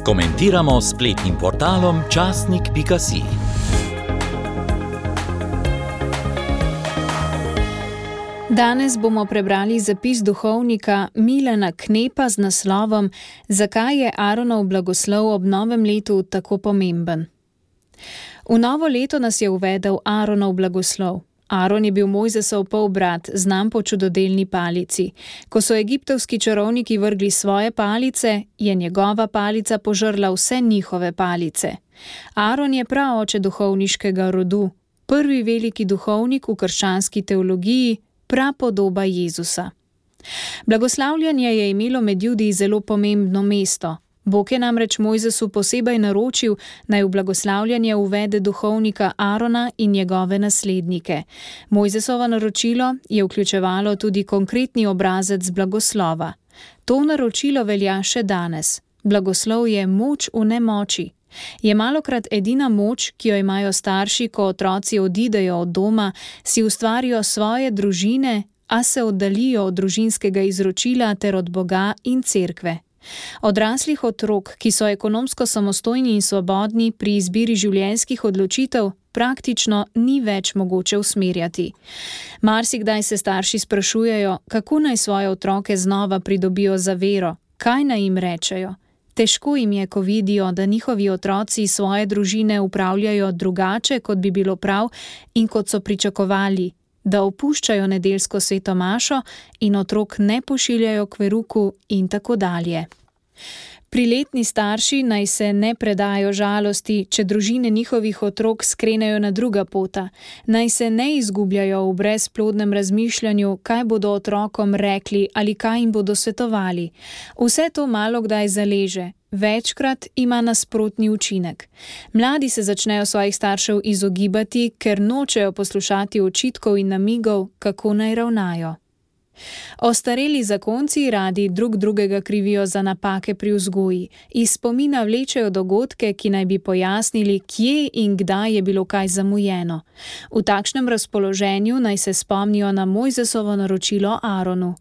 Komentiramo s spletnim portalom časnik.si. Danes bomo prebrali zapis duhovnika Milana Knepa z naslovom Zakaj je Aaronov blagoslov ob novem letu tako pomemben? V novo leto nas je uvedel Aaronov blagoslov. Aaron je bil Mojzesov polbrat, znan po čudodelni palici. Ko so egiptovski čarovniki vrgli svoje palice, je njegova palica požrla vse njihove palice. Aaron je praoče duhovniškega rodu, prvi veliki duhovnik v krščanski teologiji, prapodoba Jezusa. Blagoslavljanje je imelo med Judi zelo pomembno mesto. Bog je namreč Mojzesu posebej naročil, naj v blagoslavljanje uvede duhovnika Aarona in njegove naslednike. Mojzesovo naročilo je vključevalo tudi konkretni obrazec blagoslova. To naročilo velja še danes. Blagoslov je moč v nemoči. Je malokrat edina moč, ki jo imajo starši, ko otroci odidejo od doma, si ustvarijo svoje družine, a se oddalijo od družinskega izročila ter od Boga in cerkve. Odraslih otrok, ki so ekonomsko samostojni in svobodni pri izbiri življenjskih odločitev, praktično ni več mogoče usmerjati. Marsikdaj se starši sprašujejo, kako naj svoje otroke znova pridobijo za vero, kaj naj jim rečejo. Težko jim je, ko vidijo, da njihovi otroci svoje družine upravljajo drugače, kot bi bilo prav in kot so pričakovali, da opuščajo nedeljsko sveto mašo in otrok ne pošiljajo k veruku in tako dalje. Priletni starši naj se ne predajo žalosti, če družine njihovih otrok skrenejo na druga pota, naj se ne izgubljajo v brezplodnem razmišljanju, kaj bodo otrokom rekli ali kaj jim bodo svetovali. Vse to malokdaj zaleže, večkrat ima nasprotni učinek. Mladi se začnejo svojih staršev izogibati, ker nočejo poslušati očitkov in namigov, kako naj ravnajo. Ostareli zakonci radi drug drugega krivijo za napake pri vzgoji, iz spomina vlečejo dogodke, ki naj bi pojasnili, kje in kdaj je bilo kaj zamujeno. V takšnem razpoloženju naj se spomnijo na Mojzesovo naročilo Aaronu.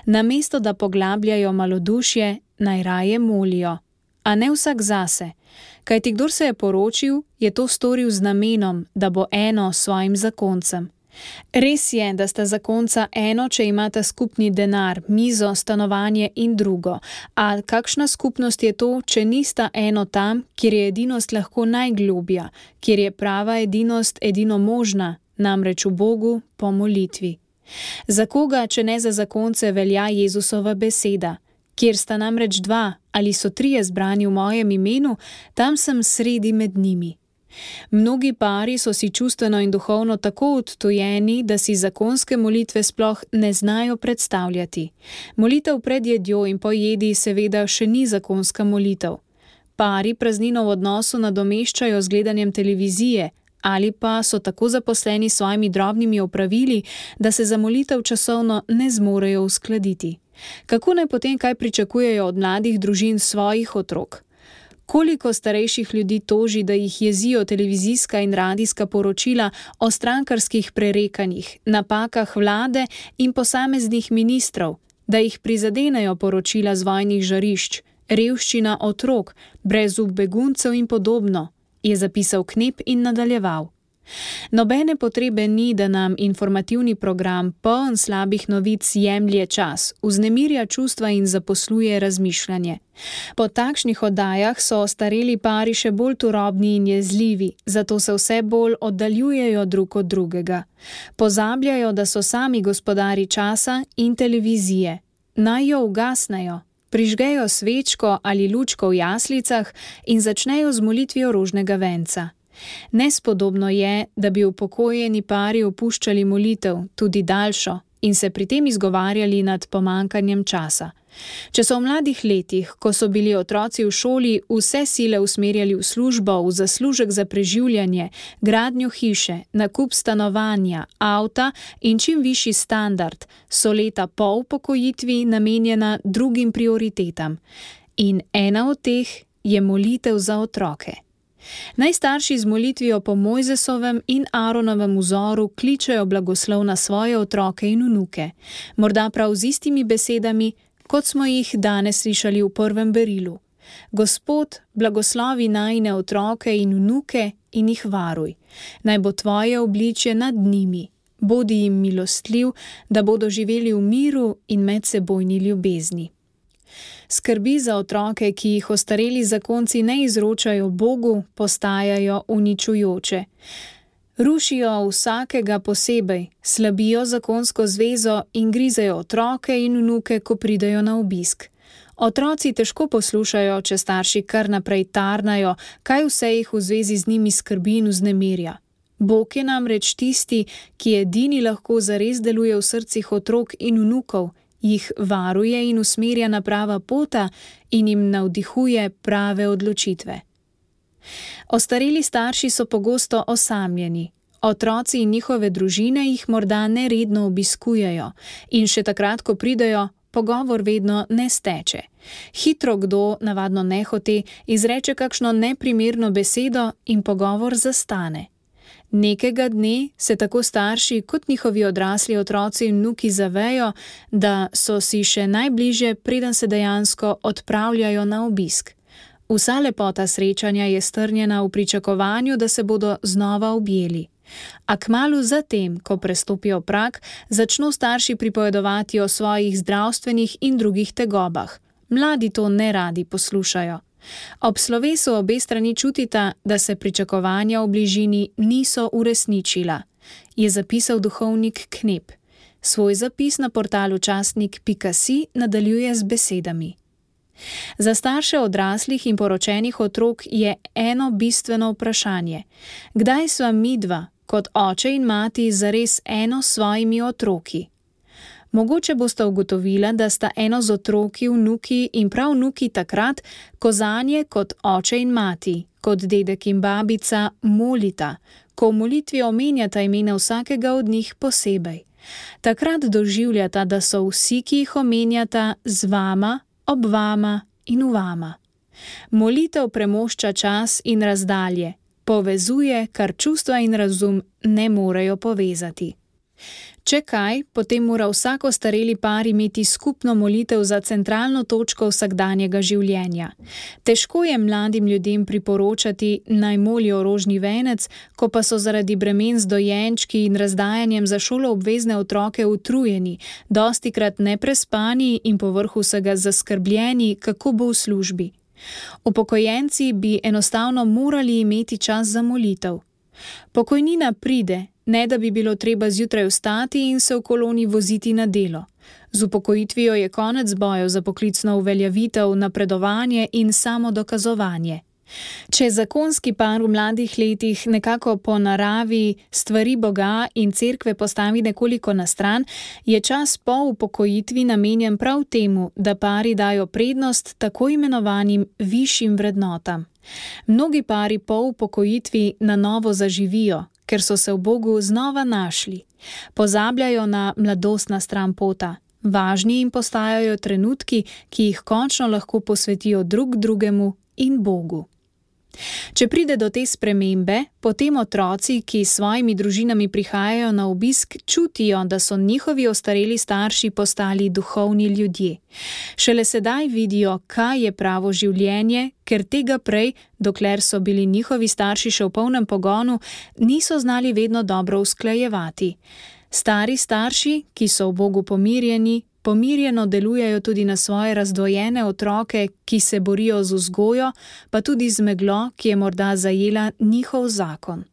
Namesto da poglabljajo malodušje, naj raje molijo. A ne vsak zase. Kajti kdor se je poročil, je to storil z namenom, da bo eno s svojim zakoncem. Res je, da sta zakonca eno, če imata skupni denar, mizo, stanovanje in drugo. A kakšna skupnost je to, če nista eno tam, kjer je edinost lahko najglobja, kjer je prava edinost edino možna, namreč v Bogu po molitvi. Za koga, če ne za zakonce, velja Jezusova beseda? Kjer sta namreč dva ali so trije zbrani v mojem imenu, tam sem sredi med njimi. Mnogi pari so si čustveno in duhovno tako odtujeni, da si zakonske molitve sploh ne znajo predstavljati. Molitev pred jedjo in po jedi seveda še ni zakonska molitev. Pari praznino v odnosu nadomeščajo z gledanjem televizije ali pa so tako zaposleni s svojimi drobnimi opravili, da se za molitev časovno ne zmorejo uskladiti. Kako naj potem kaj pričakujejo od mladih družin svojih otrok? Koliko starejših ljudi toži, da jih jezijo televizijska in radijska poročila o strankarskih prerekanjih, napakah vlade in posameznih ministrov, da jih prizadenejo poročila z vojnih žarišč, revščina otrok, brezup beguncev in podobno, je zapisal Knep in nadaljeval. Nobene potrebe ni, da nam informativni program poln slabih novic jemlje čas, vznemirja čustva in zaposluje razmišljanje. Po takšnih oddajah so ostareli pari še bolj turobni in jezljivi, zato se vse bolj oddaljujejo drug od drugega. Pozabljajo, da so sami gospodari časa in televizije. Naj jo ugasnejo, prižgejo svečko ali lučko v jaslicah in začnejo z molitvijo rožnega venca. Nespodobno je, da bi upokojeni pari opuščali molitev, tudi daljšo, in se pri tem izgovarjali nad pomanjkanjem časa. Če so v mladih letih, ko so bili otroci v šoli, vse sile usmerjali v službo, v zaslužek za preživljanje, gradnjo hiše, nakup stanovanja, avta in čim višji standard, so leta po upokojitvi namenjena drugim prioritetam. In ena od teh je molitev za otroke. Naj starši z molitvijo po Mojzesovem in Aaronovem vzoru kličejo blagoslov na svoje otroke in vnuke, morda prav z istimi besedami, kot smo jih danes slišali v prvem berilu. Gospod, blagoslovi najine otroke in vnuke in jih varuj. Naj bo tvoje obličje nad njimi. Bodi jim milostljiv, da bodo živeli v miru in medsebojni ljubezni. Skrbi za otroke, ki jih ostareli zakonci ne izročajo Bogu, postajajo uničujoče. Rušijo vsakega posebej, slabijo zakonsko zvezo in grizejo otroke in vnuke, ko pridejo na obisk. Otroci težko poslušajo, če starši kar naprej tarnajo, kaj vse jih v zvezi z njimi skrbi in vznemirja. Bog je namreč tisti, ki edini lahko zares deluje v srcih otrok in vnukov, jih varuje in usmerja na prava pota in jim navdihuje prave odločitve. Ostareli starši so pogosto osamljeni. Otroci in njihove družine jih morda neredno obiskujejo in še takrat, ko pridejo, pogovor vedno ne steče. Hitro kdo, navadno nehote, izreče kakšno neprimerno besedo in pogovor zastane. Nekega dne se tako starši kot njihovi odrasli otroci in vnuki zavejo, da so si še najbližje, preden se dejansko odpravljajo na obisk. Vsa lepota srečanja je strnjena v pričakovanju, da se bodo znova objeli. A kmalu zatem, ko prestopijo prag, začno starši pripovedovati o svojih zdravstvenih in drugih tegobah. Mladi to neradi poslušajo. Ob slovesu obe strani čutita, da se pričakovanja v bližini niso uresničila, je zapisal duhovnik Knep. Svoj zapis na portalu časnik.si nadaljuje z besedami. Za starše odraslih in poročenih otrok je eno bistveno vprašanje. Kdaj sva midva, kot oče in mati, zares eno s svojimi otroki? Mogoče boste ugotovila, da sta eno z otroki, vnuki in prav vnuki takrat, ko zanje kot oče in mati, kot dedek in babica molita, ko v molitvi omenjata imena vsakega od njih posebej. Takrat doživljata, da so vsi, ki jih omenjata, z vama, ob vama in v vama. Molitev premošča čas in razdalje, povezuje, kar čustva in razum ne morejo povezati. Če kaj, potem mora vsak ostareli par imeti skupno molitev za centralno točko vsakdanjega življenja. Težko je mladim ljudem priporočati, naj molijo rožni venec, ko pa so zaradi bremen z dojenčki in razdajanjem za šoloobvezne otroke utrujeni, dostikrat neprespani in povrh vsega zaskrbljeni, kako bo v službi. Upokojenci bi enostavno morali imeti čas za molitev. Pokojnina pride, ne da bi bilo treba zjutraj vstati in se v koloni voziti na delo. Z upokojitvijo je konec bojev za poklicno uveljavitev, napredovanje in samodokazovanje. Če zakonski par v mladih letih nekako po naravi stvari Boga in cerkve postavi nekoliko na stran, je čas po upokojitvi namenjen prav temu, da pari dajo prednost tako imenovanim višjim vrednotam. Mnogi pari po upokojitvi na novo zaživijo, ker so se v Bogu znova našli. Pozabljajo na mladostna stran pota. Važni jim postajajo trenutki, ki jih končno lahko posvetijo drug drugemu in Bogu. Če pride do te spremembe, potem otroci, ki s svojimi družinami prihajajo na obisk, čutijo, da so njihovi ostareli starši postali duhovni ljudje. Šele sedaj vidijo, kaj je pravo življenje, ker tega prej, dokler so bili njihovi starši še v polnem pogonu, niso znali vedno dobro usklajevati. Stari starši, ki so v Bogu pomirjeni, pomirjeno delujejo tudi na svoje razdvojene otroke, ki se borijo z vzgojo, pa tudi z meglo, ki je morda zajela njihov zakon.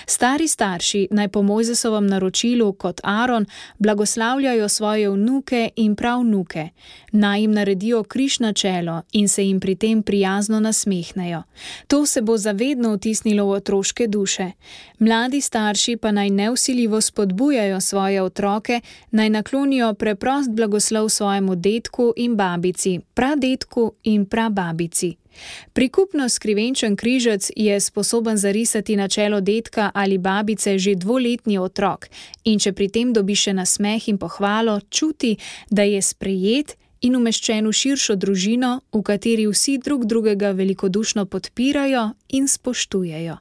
Stari starši naj po Mojzesovem naročilu kot Aron blagoslavljajo svoje vnuke in pravnuke, naj jim naredijo križ na čelo in se jim pri tem prijazno nasmehnejo. To se bo zavedno vtisnilo v otroške duše. Mladi starši pa naj nevsiljivo spodbujajo svoje otroke, naj naklonijo preprost blagoslov svojemu dedku in babici, pradedku in prababici. Prikupno skrivenčen križec je sposoben zarisati na čelo dedka ali babice že 2-letni otrok in če pri tem dobi še nasmeh in pohvalo, čuti, da je sprejet in umeščen v širšo družino, v kateri vsi drug drugega velikodušno podpirajo in spoštujejo.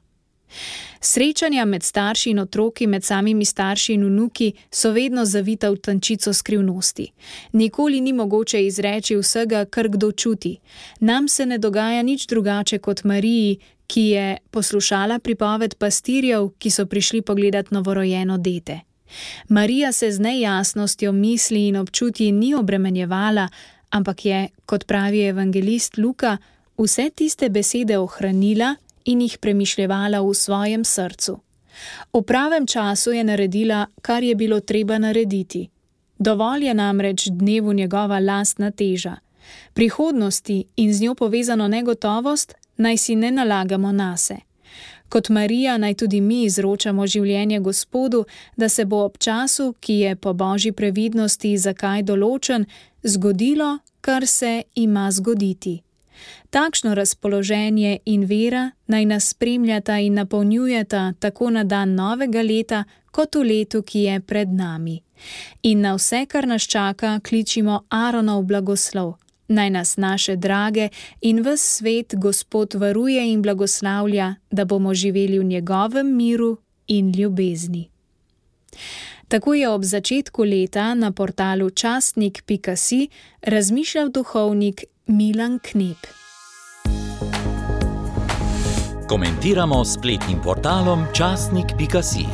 Srečanja med starši in otroki, med samimi starši in vnuki so vedno zavita v tančico skrivnosti. Nikoli ni mogoče izreči vsega, kar kdo čuti. Nam se ne dogaja nič drugače kot Mariji, ki je poslušala pripoved pastirjev, ki so prišli pogledat novorojeno dete. Marija se z nejasnostjo misli in občutji ni obremenjevala, ampak je, kot pravi evangelist Luka, vse tiste besede ohranila in jih premišljevala v svojem srcu. V pravem času je naredila, kar je bilo treba narediti. Dovolj je namreč dnevu njegova lastna teža. Prihodnosti in z njo povezano negotovost naj si ne nalagamo nase. Kot Marija naj tudi mi izročamo življenje Gospodu, da se bo ob času, ki je po božji previdnosti zakaj določen, zgodilo, kar se ima zgoditi. Takšno razpoloženje in vera naj nas spremljata in napolnjujeta tako na dan novega leta, kot v letu, ki je pred nami. In na vse, kar nas čaka, kličimo Aaronov blagoslov. Naj nas naše drage in ves svet Gospod varuje in blagoslavlja, da bomo živeli v njegovem miru in ljubezni. Tako je ob začetku leta na portalu časnik.si razmišljal duhovnik Milan Knep. Komentiramo s spletnim portalom časnik.si.